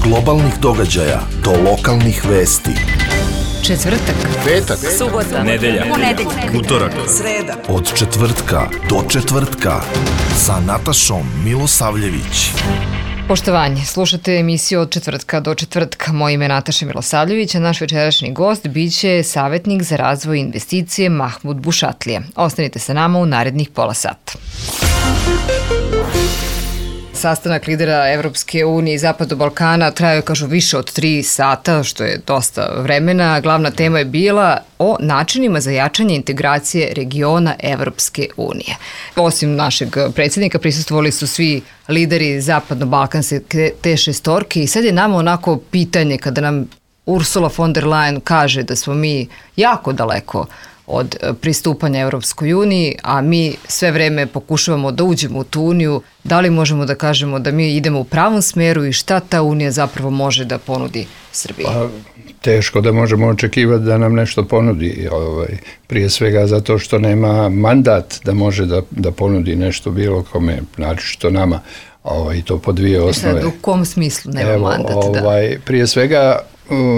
globalnih događaja do lokalnih vesti. Četvrtak, petak, subota, nedelja, utorak, sreda. Od četvrtka do četvrtka sa Natašom Milosavljević. Poštovanje, slušate emisiju Od četvrtka do četvrtka. Moje ime je Nataša Milosavljević, a naš večerašnji gost biće savjetnik za razvoj investicije Mahmud Bušatlija. Ostanite sa nama u narednih pola sata. Sastanak lidera Evropske unije i Zapadnog Balkana trajao je, kažu, više od 3 sata, što je dosta vremena. Glavna tema je bila o načinima za jačanje integracije regiona Evropske unije. Osim našeg predsjednika, prisustvovali su svi lideri Zapadno-Balkanske te šestorke i sad je nama onako pitanje kada nam Ursula von der Leyen kaže da smo mi jako daleko od pristupanja Evropskoj uniji, a mi sve vreme pokušavamo da uđemo u tu uniju. Da li možemo da kažemo da mi idemo u pravom smeru i šta ta unija zapravo može da ponudi Srbiji? Pa, teško da možemo očekivati da nam nešto ponudi. Prije svega zato što nema mandat da može da ponudi nešto bilo kome, znači što nama. I to po dvije osnove. U kom smislu nema mandat? Prije svega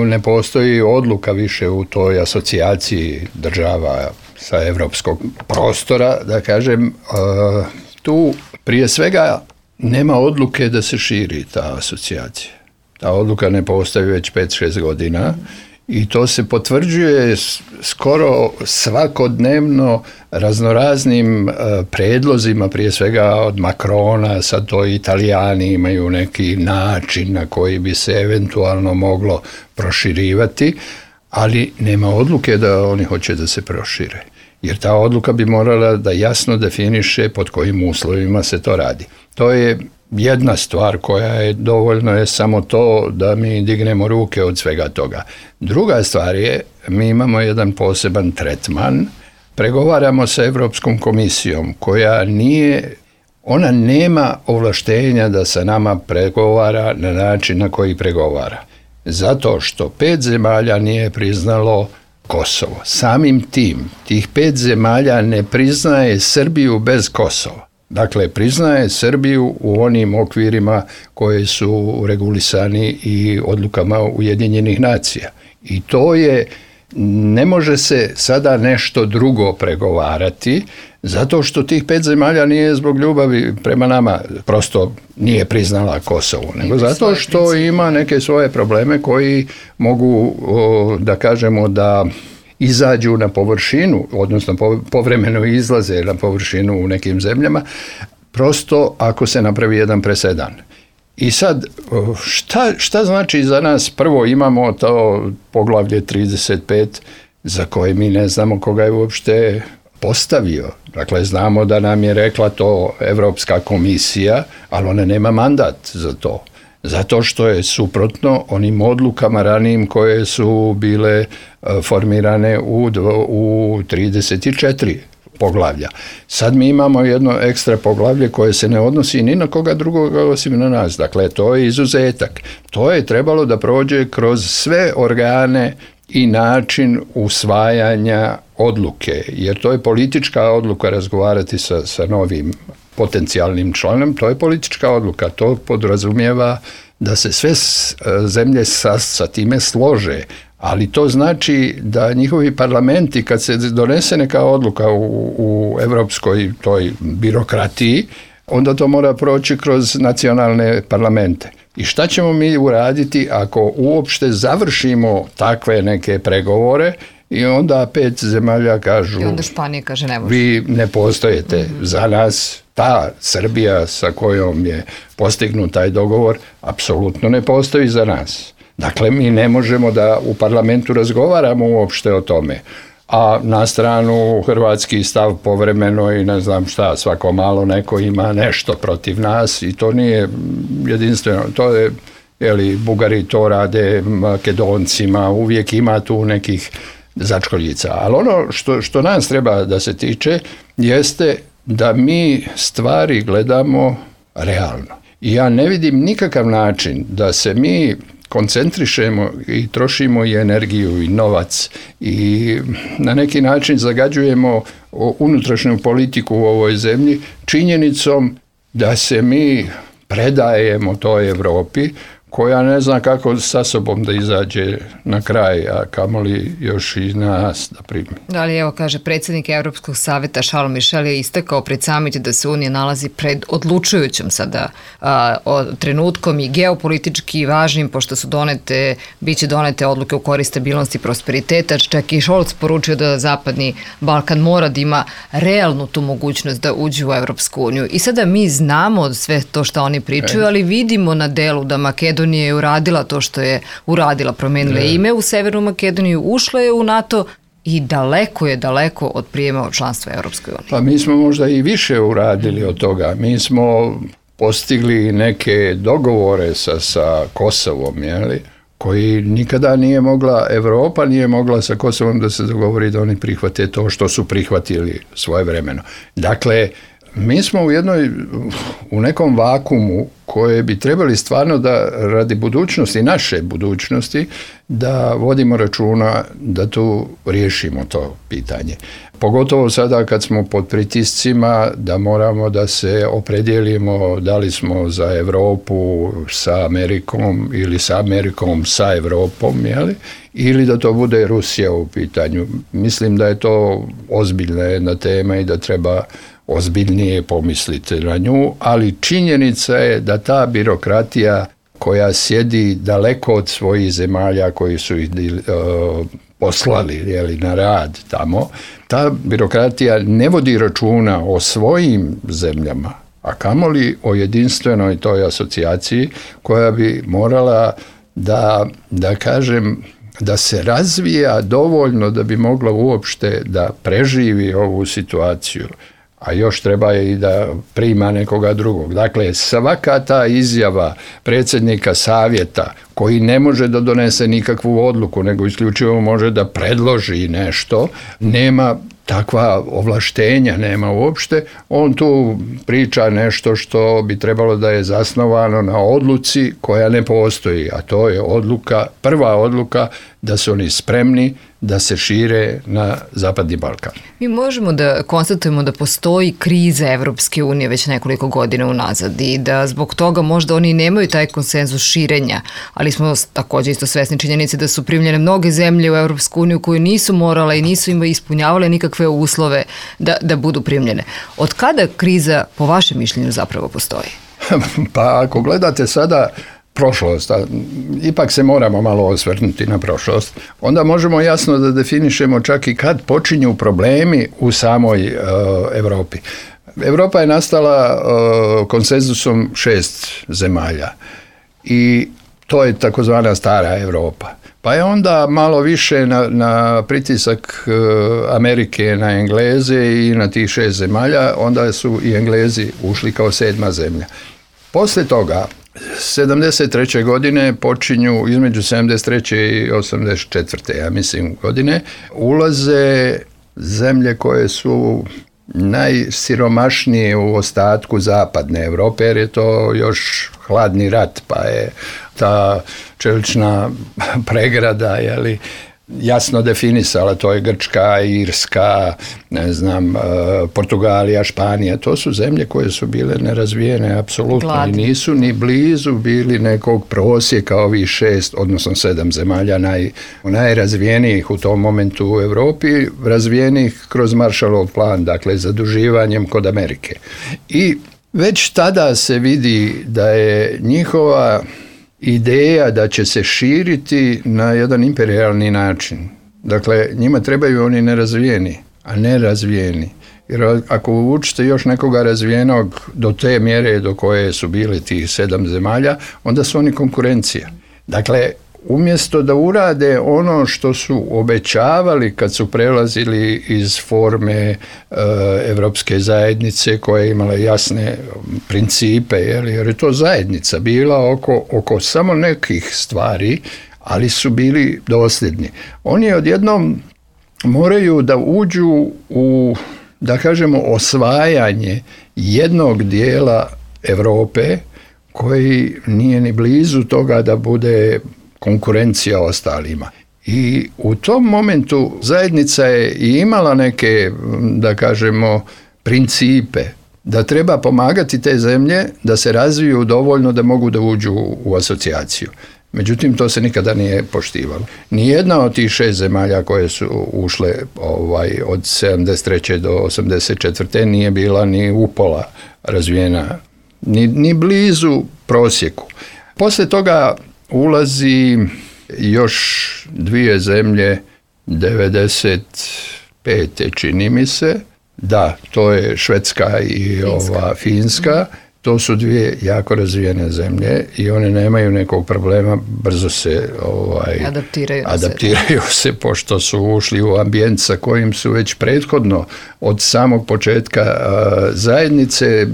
ne postoji odluka više u toj asocijaciji država sa evropskog prostora, da kažem. Tu prije svega nema odluke da se širi ta asocijacija. Ta odluka ne postoji već 5-6 godina i to se potvrđuje skoro svakodnevno raznoraznim predlozima, prije svega od Macrona. Sad to Italijani imaju neki način na koji bi se eventualno moglo proširivati, ali nema odluke da oni hoće da se prošire. Jer ta odluka bi morala da jasno definiše pod kojim uslovima se to radi. To je jedna stvar koja je dovoljno, je samo to da mi dignemo ruke od svega toga. Druga stvar je, mi imamo jedan poseban tretman, pregovaramo sa Evropskom komisijom koja ona nema ovlaštenja da sa nama pregovara na način na koji pregovara. Zato što 5 zemalja nije priznalo Kosovo. Samim tim, tih 5 zemalja ne priznaje Srbiju bez Kosova. Dakle, priznaje Srbiju u onim okvirima koji su regulisani i odlukama Ujedinjenih nacija. I to je, ne može se sada nešto drugo pregovarati, zato što tih 5 zemalja nije zbog ljubavi prema nama, prosto nije priznala Kosovo, nego zato što ima neke svoje probleme koji mogu, da kažemo, da izađu na površinu, odnosno povremeno izlaze na površinu u nekim zemljama, prosto ako se napravi jedan presedan. I sad, šta znači za nas? Prvo imamo to poglavlje 35 za koje mi ne znamo koga je uopšte postavio. Dakle, znamo da nam je rekla to Evropska komisija, ali ona nema mandat za to. Zato što je suprotno onim odlukama ranijim koje su bile formirane u 34 poglavlja. Sad mi imamo jedno ekstra poglavlje koje se ne odnosi ni na koga drugoga osim na nas. Dakle, to je izuzetak. To je trebalo da prođe kroz sve organe i način usvajanja odluke, jer to je politička odluka razgovarati sa novim potencijalnim članom, to je politička odluka, to podrazumijeva da se sve zemlje sa time slože, ali to znači da njihovi parlamenti, kad se donese neka odluka u evropskoj toj birokratiji, onda to mora proći kroz nacionalne parlamente. I šta ćemo mi uraditi ako uopšte završimo takve neke pregovore i onda 5 zemalja kažu, i onda Španija kaže ne može. Vi ne postojete za nas. Ta Srbija sa kojom je postignut taj dogovor apsolutno ne postoji za nas. Dakle, mi ne možemo da u parlamentu razgovaramo uopšte o tome. A na stranu hrvatski stav povremeno i ne znam šta, svako malo neko ima nešto protiv nas i to nije jedinstveno. To je, Bugari to rade Makedoncima, uvijek ima tu nekih začkoljica. Ali ono što nas treba da se tiče jeste da mi stvari gledamo realno. I ja ne vidim nikakav način da se mi koncentrišemo i trošimo i energiju i novac i na neki način zagađujemo unutrašnju politiku u ovoj zemlji činjenicom da se mi predajemo toj Europi koja ne zna kako sa sobom da izađe na kraj, a kamoli još i nas da primi. Da li, evo kaže, predsjednik Evropskog savjeta Charles Michel je istakao pred samit da se Unija nalazi pred odlučujućom sada trenutkom i geopolitički važnim, pošto su biće donete odluke u korist stabilnosti i prosperiteta. Čak i Scholz poručio da Zapadni Balkan mora da ima realnu tu mogućnost da uđe u Evropsku uniju. I sada mi znamo sve to što oni pričaju, ali vidimo na delu da Makedonija je uradila to što je uradila, promenila ime u Severnu Makedoniju, ušla je u NATO i daleko od prijema od članstva Evropskoj uniji. Pa mi smo možda i više uradili od toga. Mi smo postigli neke dogovore sa Kosovom, koji nikada nije mogla, Evropa nije mogla sa Kosovom da se dogovori da oni prihvate to što su prihvatili svojevremeno. Dakle, mi smo u nekom vakumu koje bi trebali stvarno da radi budućnosti, naše budućnosti, da vodimo računa da tu riješimo to pitanje. Pogotovo sada kad smo pod pritiscima da moramo da se opredijelimo da li smo za Europu sa Amerikom ili sa Amerikom sa Europom, ili da to bude Rusija u pitanju. Mislim da je to ozbiljna jedna tema i da treba ozbiljnije pomisliti na nju, ali činjenica je da ta birokratija koja sjedi daleko od svojih zemalja koji su ih poslali na rad tamo, ta birokratija ne vodi računa o svojim zemljama, a kamoli o jedinstvenoj toj asocijaciji koja bi morala da kažem, da se razvija dovoljno da bi mogla uopšte da preživi ovu situaciju, a još treba i da prima nekoga drugog. Dakle, svaka ta izjava predsjednika savjeta koji ne može da donese nikakvu odluku, nego isključivo može da predloži nešto, nema takva ovlaštenja, nema uopšte. On tu priča nešto što bi trebalo da je zasnovano na odluci koja ne postoji, a to je prva odluka da su oni spremni da se šire na Zapadni Balkan. Mi možemo da konstatujemo da postoji kriza Evropske unije već nekoliko godina unazad i da zbog toga možda oni nemaju taj konsenzus širenja, ali smo također isto svesni činjenice da su primljene mnoge zemlje u Evropsku uniju koje nisu morale i nisu ispunjavale nikakve uslove da budu primljene. Od kada kriza, po vašem mišljenju, zapravo postoji? Pa ako gledate sada prošlost, a ipak se moramo malo osvrnuti na prošlost, onda možemo jasno da definišemo čak i kad počinju problemi u samoj Europi. Europa je nastala konsenzusom 6 zemalja i to je takozvana stara Europa. Pa je onda malo više na pritisak Amerike na Engleze i na tih 6 zemalja, onda su i Englezi ušli kao 7. zemlja. Poslije toga 73. godine počinju, između 73. i 84. ja mislim godine, ulaze zemlje koje su najsiromašnije u ostatku zapadne Europe, jer je to još hladni rat, pa je ta čelična pregrada, jasno definisala, to je Grčka, Irska, Portugalija, Španija, to su zemlje koje su bile nerazvijene apsolutno i nisu ni blizu bili nekog prosjeka ovih 6, odnosno 7 zemalja najrazvijenijih u tom momentu u Europi, razvijenih kroz Marshallov plan, dakle zaduživanjem kod Amerike. I već tada se vidi da je njihova ideja da će se širiti na jedan imperijalni način. Dakle, njima trebaju oni nerazvijeni, a ne razvijeni. Jer ako učite još nekoga razvijenog do te mjere do koje su bili tih 7 zemalja, onda su oni konkurencija. Dakle, umjesto da urade ono što su obećavali kad su prelazili iz forme Evropske zajednice koja je imala jasne principe, jer je to zajednica bila oko samo nekih stvari, ali su bili dosljedni. Oni odjednom moraju da uđu u, da kažemo, osvajanje jednog dijela Europe koji nije ni blizu toga da bude konkurencija ostalima. I u tom momentu zajednica je i imala neke, da kažemo, principe, da treba pomagati te zemlje da se razviju dovoljno da mogu da uđu u asocijaciju. Međutim, to se nikada nije poštivalo. Nijedna od tih 6 zemalja koje su ušle od 73. do 84. nije bila ni upola razvijena, ni blizu prosjeku. Poslije toga ulazi još 2 zemlje, 95. čini mi se, da, to je Švedska i Finska. To su 2 jako razvijene zemlje i one nemaju nekog problema, brzo se adaptiraju se pošto su ušli u ambijent sa kojim su već prethodno od samog početka zajednice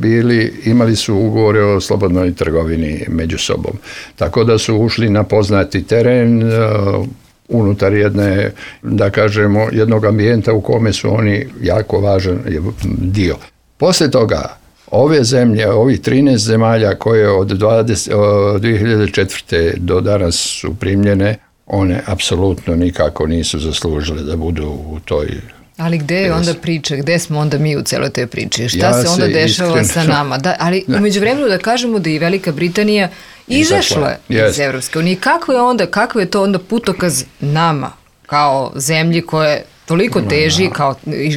imali su ugovore o slobodnoj trgovini među sobom. Tako da su ušli na poznati teren unutar jednog ambijenta u kome su oni jako važan dio. Poslije toga ove zemlje, ovih 13 zemalja koje od 2004. do danas su primljene, one apsolutno nikako nisu zaslužile da budu u toj... Ali gde je onda priča, gde smo onda mi u celoj toj priči? Šta se onda dešava sa nama? Ali umeđu vremenu da kažemo da i Velika Britanija izašla iz Evropske unije. Kako je to onda putokaz nama kao zemlji koje toliko teži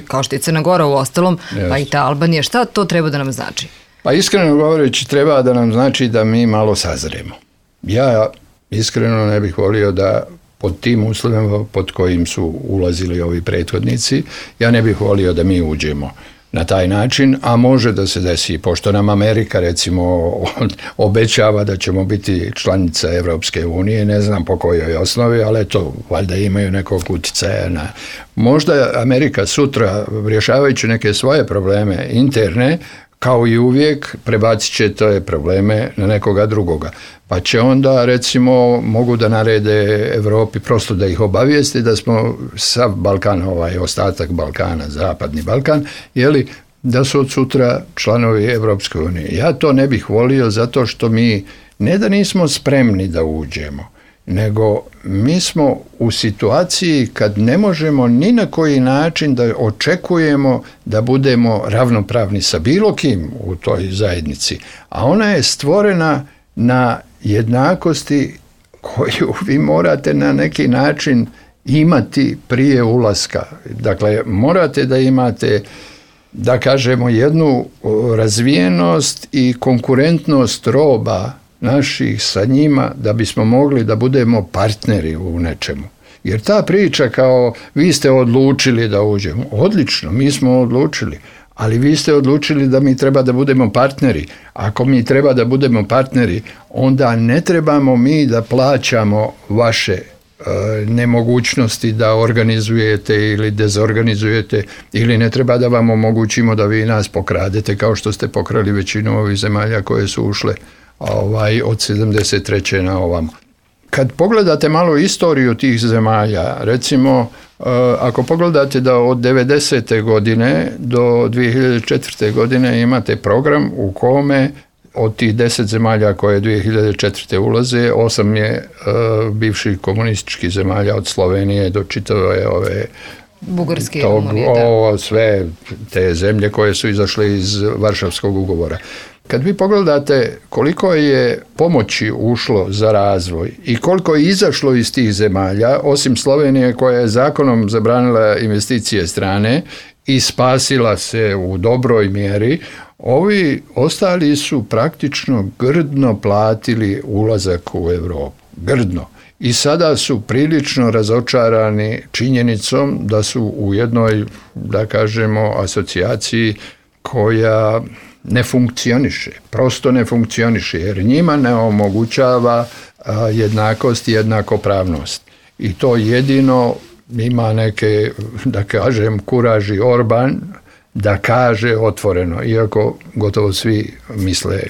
kao što je Crna Gora u ostalom, pa i ta Albanija? Šta to treba da nam znači? Pa iskreno govoreći treba da nam znači da mi malo sazremo. Ja iskreno ne bih volio da pod tim uslovima pod kojim su ulazili ovi prethodnici, ja ne bih volio da mi uđemo na taj način, a može da se desi, pošto nam Amerika recimo obećava da ćemo biti članica Evropske unije, ne znam po kojoj osnovi, ali to valjda imaju nekog uticaja na... Možda Amerika sutra, rješavajući neke svoje probleme interne, kao i uvijek, prebacit će te probleme na nekoga drugoga. Pa će onda, recimo, mogu da narede Evropi prosto da ih obavijesti da smo sav Balkan, ostatak Balkana, zapadni Balkan, da su od sutra članovi Evropske unije. Ja to ne bih volio zato što mi ne da nismo spremni da uđemo, nego mi smo u situaciji kad ne možemo ni na koji način da očekujemo da budemo ravnopravni sa bilo kim u toj zajednici. A ona je stvorena na jednakosti koju vi morate na neki način imati prije ulaska. Dakle, morate da imate, da kažemo, jednu razvijenost i konkurentnost roba naših sa njima da bismo mogli da budemo partneri u nečemu. Jer ta priča kao vi ste odlučili da uđemo, odlično, mi smo odlučili, ali vi ste odlučili da mi treba da budemo partneri. Ako mi treba da budemo partneri, onda ne trebamo mi da plaćamo vaše nemogućnosti da organizujete ili dezorganizujete, ili ne treba da vam omogućimo da vi nas pokradete kao što ste pokrali većinu ovih zemalja koje su ušle od 73. na ovamo. Kad pogledate malo istoriju tih zemalja, recimo ako pogledate da od 90. godine do 2004. godine imate program u kome od tih 10 zemalja koje 2004. ulaze, 8 je bivših komunističkih zemalja od Slovenije do čitave ove Bugarske, sve te zemlje koje su izašle iz Varšavskog ugovora. Kad vi pogledate koliko je pomoći ušlo za razvoj i koliko je izašlo iz tih zemalja, osim Slovenije koja je zakonom zabranila investicije strane i spasila se u dobroj mjeri, ovi ostali su praktično grdno platili ulazak u Europu. Grdno. I sada su prilično razočarani činjenicom da su u jednoj, da kažemo, asocijaciji koja ne funkcioniše, prosto ne funkcioniše, jer njima ne omogućava jednakost i jednakopravnost. I to jedino ima neke, da kažem, kuraži Orban da kaže otvoreno, iako gotovo svi misle,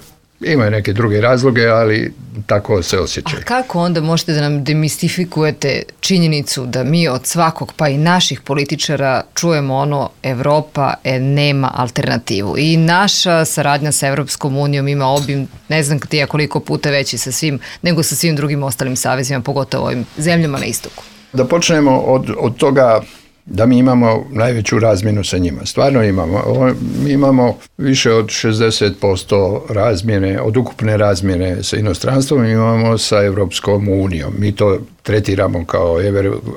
imaju neke druge razloge, ali tako se osjećaju. A kako onda možete da nam demistifikujete činjenicu da mi od svakog, pa i naših političara, čujemo ono Evropa nema alternativu i naša saradnja sa Evropskom unijom ima obim, ne znam koliko puta veći sa svim, nego sa svim drugim ostalim savezima, pogotovo ovim zemljama na istoku? Da počnemo od toga da mi imamo najveću razmjenu sa njima. Stvarno imamo. Mi imamo više od 60% razmjene, od ukupne razmjene sa inostranstvom imamo sa Evropskom unijom. Mi to tretiramo kao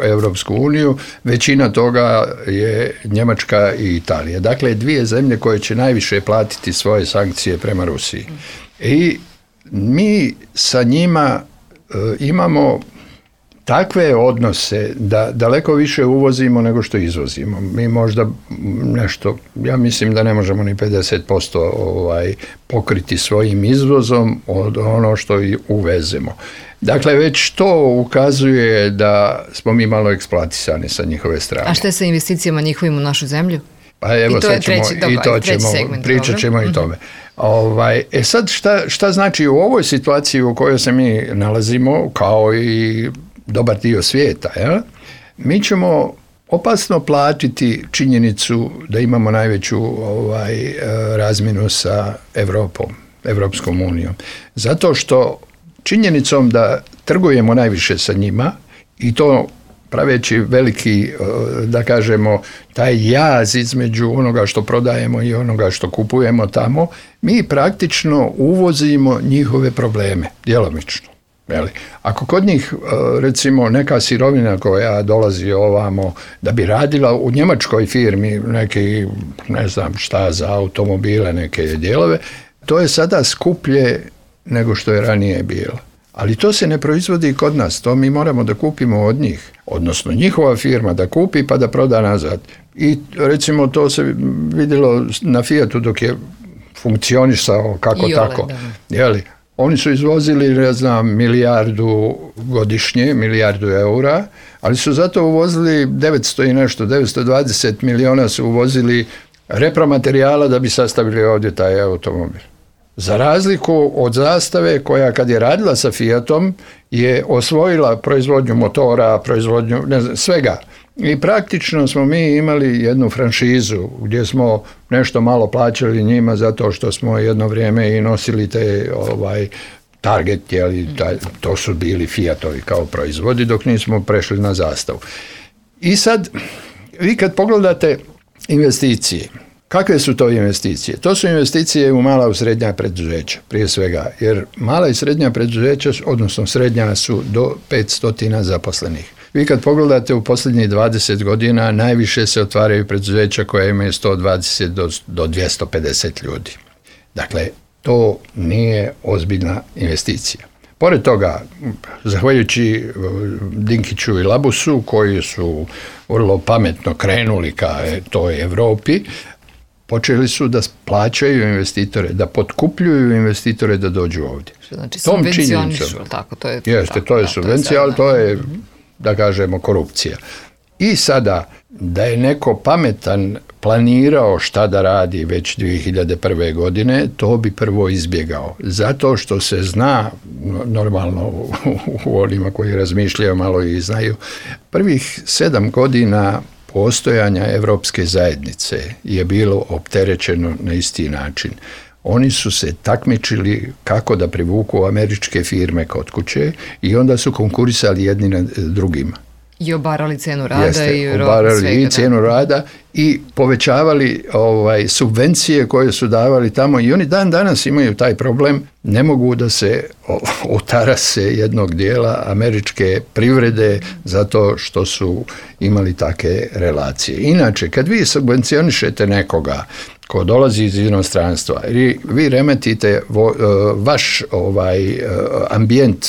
Evropsku uniju. Većina toga je Njemačka i Italija. Dakle, dvije zemlje koje će najviše platiti svoje sankcije prema Rusiji. I mi sa njima imamo takve odnose da daleko više uvozimo nego što izvozimo. Mi možda nešto, ja mislim da ne možemo ni 50% pokriti svojim izvozom od ono što i uvezemo. Dakle, već to ukazuje da smo mi malo eksploatisani sa njihove strane. A šta je sa investicijama njihovim u našu zemlju? Pa evo, pričat ćemo i tome. Sad šta znači u ovoj situaciji u kojoj se mi nalazimo, kao i dobar dio svijeta, mi ćemo opasno platiti činjenicu da imamo najveću razmjenu sa Evropskom unijom. Zato što činjenicom da trgujemo najviše sa njima i to praveći veliki, da kažemo, taj jaz između onoga što prodajemo i onoga što kupujemo tamo, mi praktično uvozimo njihove probleme, djelomično. Ako kod njih, recimo, neka sirovina koja dolazi ovamo da bi radila u njemačkoj firmi neki, ne znam šta, za automobile, neke dijelove, to je sada skuplje nego što je ranije bilo. Ali to se ne proizvodi kod nas, to mi moramo da kupimo od njih, odnosno njihova firma da kupi pa da proda nazad. I recimo to se vidjelo na Fiatu dok je funkcionisao kako tako. Oni su izvozili, ne znam, milijardu godišnje, milijardu eura, ali su zato uvozili 900 i nešto, 920 miliona su uvozili repromaterijala da bi sastavili ovdje taj automobil. Za razliku od Zastave koja kad je radila sa Fiatom je osvojila proizvodnju motora, proizvodnju svega. I praktično smo mi imali jednu franšizu gdje smo nešto malo plaćali njima zato što smo jedno vrijeme i nosili te Target, to su bili Fiatovi kao proizvodi dok nismo prešli na Zastavu. I sad, vi kad pogledate investicije, kakve su to investicije? To su investicije u mala i srednja preduzeća, prije svega, jer mala i srednja preduzeća, odnosno srednja su do 500 zaposlenih. Vi kad pogledate u posljednjih 20 godina, najviše se otvaraju preduzeća koja imaju 120 do 250 ljudi. Dakle, to nije ozbiljna investicija. Pored toga, zahvaljujući Dinkiću i Labusu, koji su vrlo pametno krenuli ka toj Europi, počeli su da plaćaju investitore, da potkupljuju investitore da dođu ovdje. Znači, subvencionišu, tako? To je subvencija, ali to je, da kažemo, korupcija. I sada, da je neko pametan planirao šta da radi već 2001. godine, to bi prvo izbjegao. Zato što se zna, normalno u onima koji razmišljaju malo i znaju, prvih 7 godina postojanja Evropske zajednice je bilo opterećeno na isti način. Oni su se takmičili kako da privuku američke firme kod kuće i onda su konkurisali jedni na drugima. I obarali cenu rada i cijenu rada i povećavali subvencije koje su davali tamo i oni dan danas imaju taj problem, ne mogu da se otarase jednog dijela američke privrede zato što su imali takve relacije. Inače, kad vi subvencionišete nekoga ko dolazi iz inostranstva, vi remetite vaš ambijent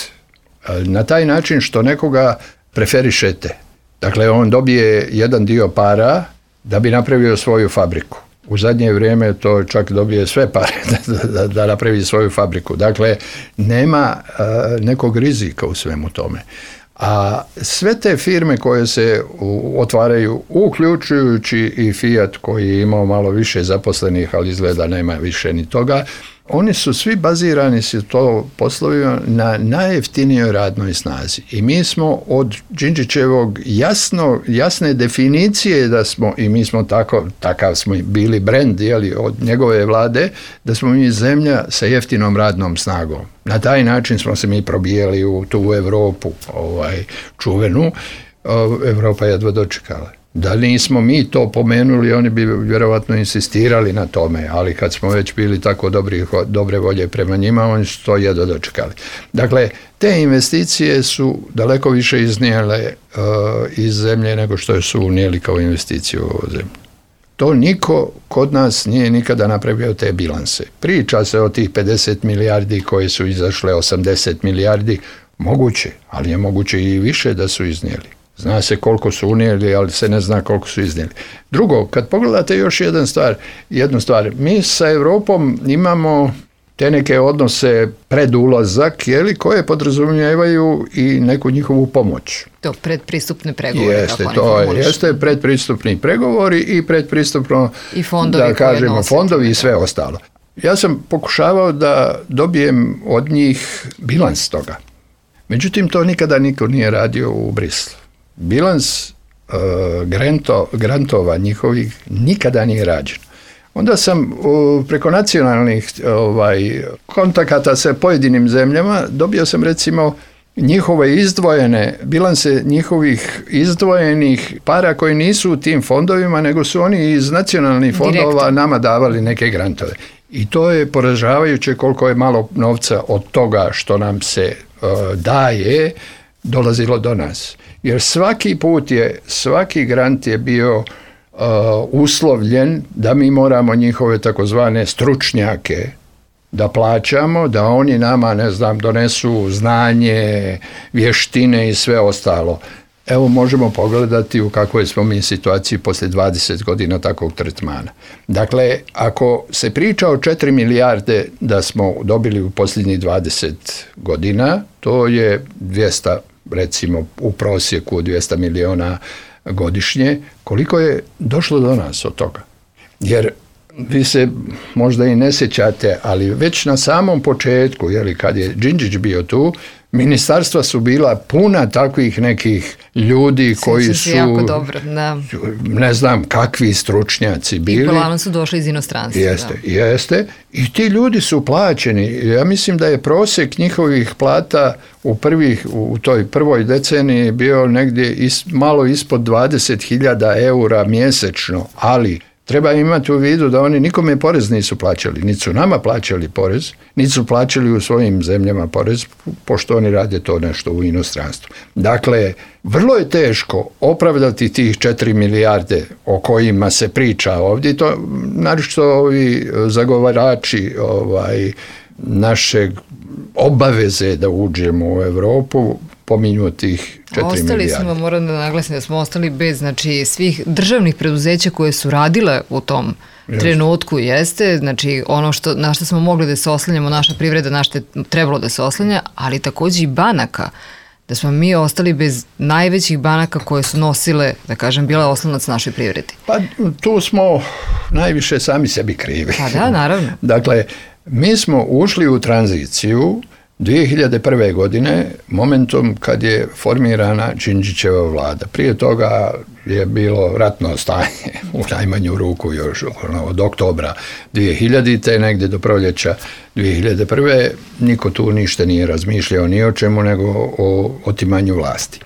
na taj način što nekoga preferišete. Dakle, on dobije jedan dio para da bi napravio svoju fabriku. U zadnje vrijeme to čak dobije sve pare da napravi svoju fabriku. Dakle, nema nekog rizika u svemu tome. A sve te firme koje se otvaraju, uključujući i Fiat koji je imao malo više zaposlenih, ali izgleda nema više ni toga, oni su svi bazirani su to poslovima na najjeftinijoj radnoj snazi. I mi smo od Đinđićevog jasne definicije da smo, i mi smo takav smo bili brend od njegove vlade, da smo mi zemlja sa jeftinom radnom snagom. Na taj način smo se mi probijali u tu Europu čuvenu. Europa jedva dočekala. Da nismo mi to pomenuli, oni bi vjerovatno insistirali na tome, ali kad smo već bili tako dobre volje prema njima, oni su to jedno dočekali. Dakle, te investicije su daleko više iznijele iz zemlje nego što su unijeli kao investiciju u ovu zemlju. To niko kod nas nije nikada napravio te bilanse. Priča se o tih 50 milijardi koje su izašle, 80 milijardi, moguće, ali je moguće i više da su iznijeli. Zna se koliko su unijeli, ali se ne zna koliko su iznijeli. Drugo, kad pogledate još jednu stvar, mi sa Europom imamo te neke odnose pred ulazak, koje podrazumijevaju i neku njihovu pomoć. To predpristupne pregovore. Jeste predpristupni pregovori i predpristupno, i fondovi, da kažemo, fondovi i sve ostalo. Ja sam pokušavao da dobijem od njih bilans toga. Međutim, to nikada niko nije radio u Brislu. Bilans grantova njihovih nikada nije rađen. Onda sam preko nacionalnih kontakata sa pojedinim zemljama dobio sam recimo njihove izdvojene bilanse njihovih izdvojenih para koji nisu u tim fondovima, nego su oni iz nacionalnih fondova nama davali neke grantove. I to je poražavajuće koliko je malo novca od toga što nam se daje dolazilo do nas. Jer svaki grant je bio uslovljen da mi moramo njihove takozvane stručnjake da plaćamo, da oni nama, donesu znanje, vještine i sve ostalo. Evo možemo pogledati u kakvoj smo mi situaciji poslije 20 godina takvog tretmana. Dakle, ako se priča o 4 milijarde da smo dobili u posljednjih 20 godina, to je 200, recimo u prosjeku 200 milijuna godišnje, koliko je došlo do nas od toga. Jer vi se možda i ne sjećate, ali već na samom početku, kad je Đinđić bio tu, ministarstva su bila puna takvih nekih ljudi koji su jako dobro, da. Ne znam kakvi stručnjaci bili. I polano su došli iz inostranstva. Jeste. I ti ljudi su plaćeni. Ja mislim da je prosjek njihovih plata u toj prvoj deceniji bio negdje malo ispod 20.000 eura mjesečno, ali treba imati u vidu da oni nikome porez nisu plaćali, niti su nama plaćali porez, niti su plaćali u svojim zemljama porez, pošto oni rade to nešto u inostranstvu. Dakle, vrlo je teško opravdati tih 4 milijarde o kojima se priča ovdje, to naročito ovi zagovarači našeg obaveze da uđemo u Europu, pominju tih 4 milijarde. Moram da naglasim da smo ostali bez svih državnih preduzeća koje su radile u tom trenutku, ono na što smo mogli da se oslanjamo, naša privreda, na što je trebalo da se oslanja, ali također i banaka, da smo mi ostali bez najvećih banaka koje su nosile, da kažem, bila oslonac našoj privredi. Pa tu smo najviše sami sebi krivi. Pa da, naravno. Dakle, mi smo ušli u tranziciju 2001. godine, momentom kad je formirana Đinđićeva vlada. Prije toga je bilo ratno stanje, u najmanju ruku još od oktobra 2000. negdje do proljeća 2001. Niko tu ništa nije razmišljao ni o čemu nego o otimanju vlasti.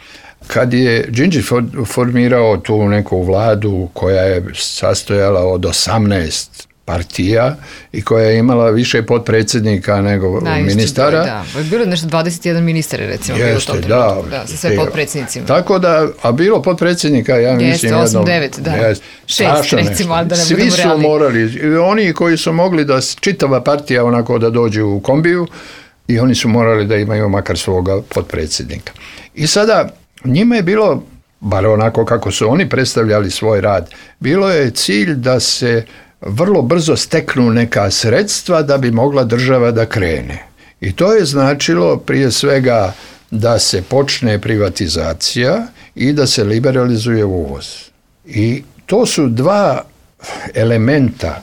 Kad je Đinđić formirao tu neku vladu koja je sastojala od 18 partija i koja je imala više potpredsjednika nego ministara. Da, bilo je nešto 21 ministar, recimo. Jeste, da, sa sve potpredsjednicima. Tako da, a bilo potpredsjednika, ja mislim... Jeste, 8-9, da. 6, recimo, ali da ne budemo realni. Svi su morali, oni koji su mogli da čitava partija onako da dođu u kombiju i oni su morali da imaju makar svoga potpredsjednika. I sada, njima je bilo, bar onako kako su oni predstavljali svoj rad, bilo je cilj da se vrlo brzo steknu neka sredstva da bi mogla država da krene. I to je značilo prije svega da se počne privatizacija i da se liberalizuje uvoz. I to su dva elementa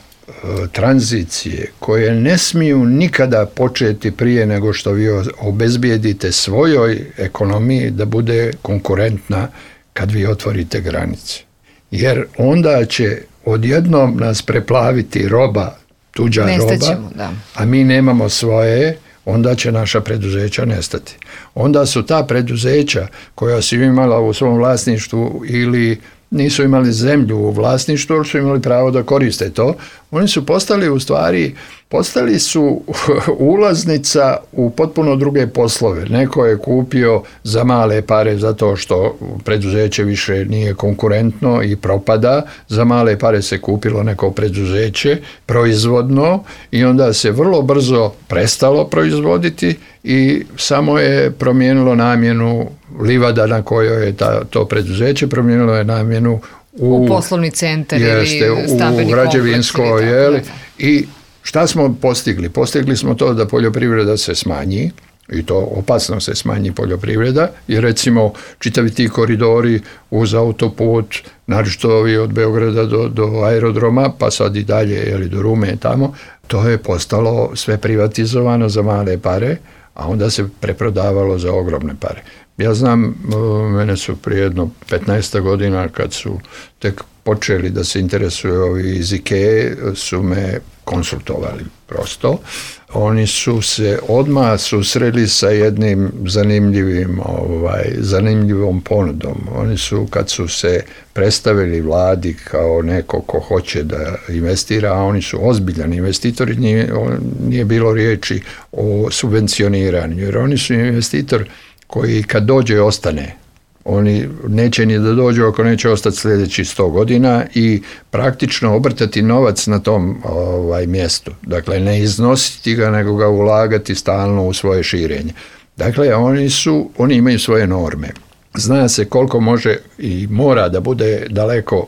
tranzicije koje ne smiju nikada početi prije nego što vi obezbijedite svojoj ekonomiji da bude konkurentna kad vi otvorite granice. Jer onda će odjednom nas preplaviti roba, tuđa roba, a mi nemamo svoje, onda će naša preduzeća nestati. Onda su ta preduzeća koja su imala u svom vlasništvu ili nisu imali zemlju u vlasništvu, ali su imali pravo da koriste to. Oni su postali su ulaznica u potpuno druge poslove. Neko je kupio za male pare zato što preduzeće više nije konkurentno i propada. Za male pare se kupilo neko preduzeće proizvodno i onda se vrlo brzo prestalo proizvoditi i samo je promijenilo namjenu livada na kojoj je to preduzeće, promijenilo je namjenu u poslovni centar ili stambeni u građevinsko, i šta smo postigli? Postigli smo to da poljoprivreda se smanji, i to opasno se smanji poljoprivreda, i recimo čitavi ti koridori uz autoput, naročito ovi od Beograda do aerodroma, pa sad i dalje do Rume tamo, to je postalo sve privatizovano za male pare, a onda se preprodavalo za ogromne pare. Ja znam, mene su prije jedno 15 godina, kad su tek počeli da se interesuju ovi iz IKEA, su me konsultovali prosto. Oni su se odmah susreli sa jednim zanimljivom ponudom. Oni su, kad su se predstavili vladi kao neko ko hoće da investira, a oni su ozbiljan investitori, nije bilo riječi o subvencioniranju, jer oni su investitor koji kad dođe ostane. Oni neće ni da dođu ako neće ostati sljedećih 100 godina i praktično obrtati novac na tom mjestu. Dakle, ne iznositi ga, nego ga ulagati stalno u svoje širenje. Dakle, oni imaju svoje norme. Zna se koliko može i mora da bude daleko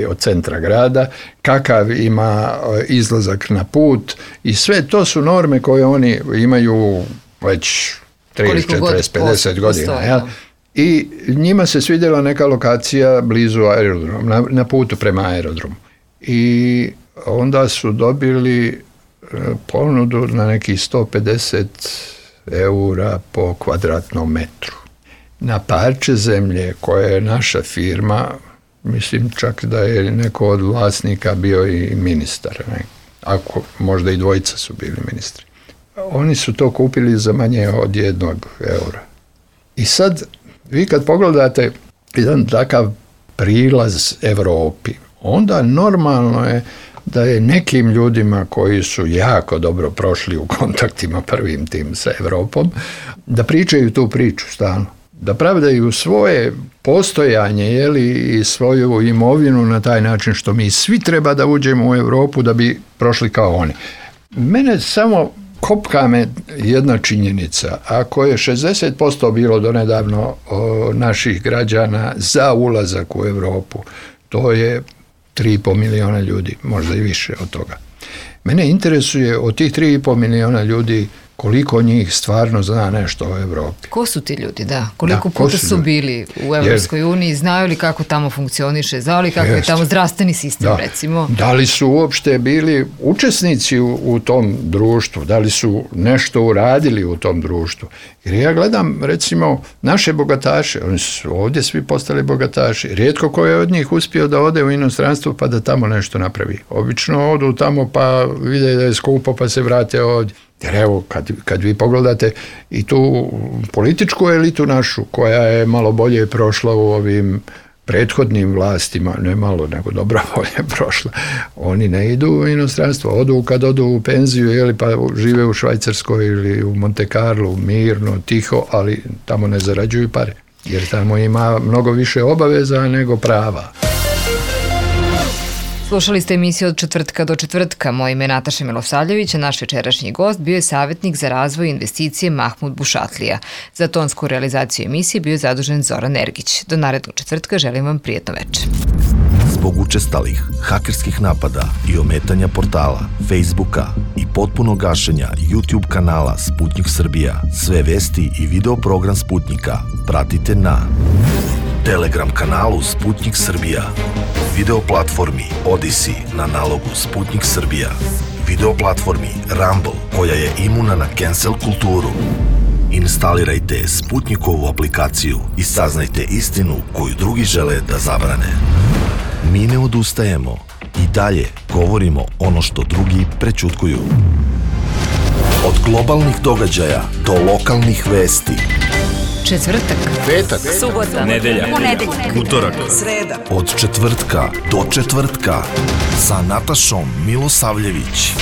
od centra grada, kakav ima izlazak na put, i sve to su norme koje oni imaju već 30, 40, 50 godina. I njima se svidjela neka lokacija blizu aerodroma, na putu prema aerodromu. I onda su dobili ponudu na nekih 150 eura po kvadratnom metru. Na parče zemlje koje je naša firma, mislim čak da je neko od vlasnika bio i ministar, ako možda i dvojica su bili ministri. Oni su to kupili za manje od 1 eura. I sad, vi kad pogledate jedan takav prilaz Europi, onda normalno je da je nekim ljudima koji su jako dobro prošli u kontaktima prvim tim sa Europom, da pričaju tu priču stalno. Da pravdaju svoje postojanje i svoju imovinu na taj način što mi svi treba da uđemo u Europu da bi prošli kao oni. Mene samo kopka me jedna činjenica. Ako je 60% bilo donedavno naših građana za ulazak u Europu, to je 3,5 miliona ljudi, možda i više od toga. Mene interesuje od tih 3,5 miliona ljudi koliko njih stvarno zna nešto o Europi. Ko su ti ljudi, da? Koliko puta su bili u Evropskoj uniji, znaju li kako tamo funkcioniše, znaju li kako je tamo zdravstveni sistem, recimo? Da li su uopšte bili učesnici u tom društvu, da li su nešto uradili u tom društvu? Jer ja gledam, recimo, naše bogataše, oni su ovdje svi postali bogataši. Rijetko ko je od njih uspio da ode u inostranstvo pa da tamo nešto napravi. Obično odu tamo pa vide da je skupo pa se vrate ovdje. Jer evo, kad vi pogledate i tu političku elitu našu, koja je malo bolje prošla u ovim prethodnim vlastima, ne malo, nego dobro bolje prošla, oni ne idu u inostranstvo, odu kad odu u penziju, pa žive u Švajcarskoj ili u Monte Carlo, mirno, tiho, ali tamo ne zarađuju pare, jer tamo ima mnogo više obaveza nego prava. Slušali ste emisiju Od četvrtka do četvrtka. Moje ime je Nataša Milosavljević, a naš večerašnji gost bio je savjetnik za razvoj i investicije Mahmud Bušatlija. Za tonsku realizaciju emisije bio je zadužen Zoran Ergić. Do narednog četvrtka želim vam prijatno večer. Zbog učestalih hakerskih napada i ometanja portala, Facebooka i potpunog gašenja YouTube kanala Sputnik Srbija, sve vesti i video program Sputnika pratite na Telegram kanalu Sputnik Srbija, video platformi Odyssey na nalogu Sputnik Srbija, video platformi Rumble koja je imuna na cancel kulturu. Instalirajte Sputnikovu aplikaciju i saznajte istinu koju drugi žele da zabrane. Mi ne odustajemo i dalje govorimo ono što drugi prećutkuju. Od globalnih događaja do lokalnih vesti, Četvrtak, petak, subota, nedelja, ponedeljak, utorak, sreda. Od četvrtka do četvrtka sa Natašom Milosavljević.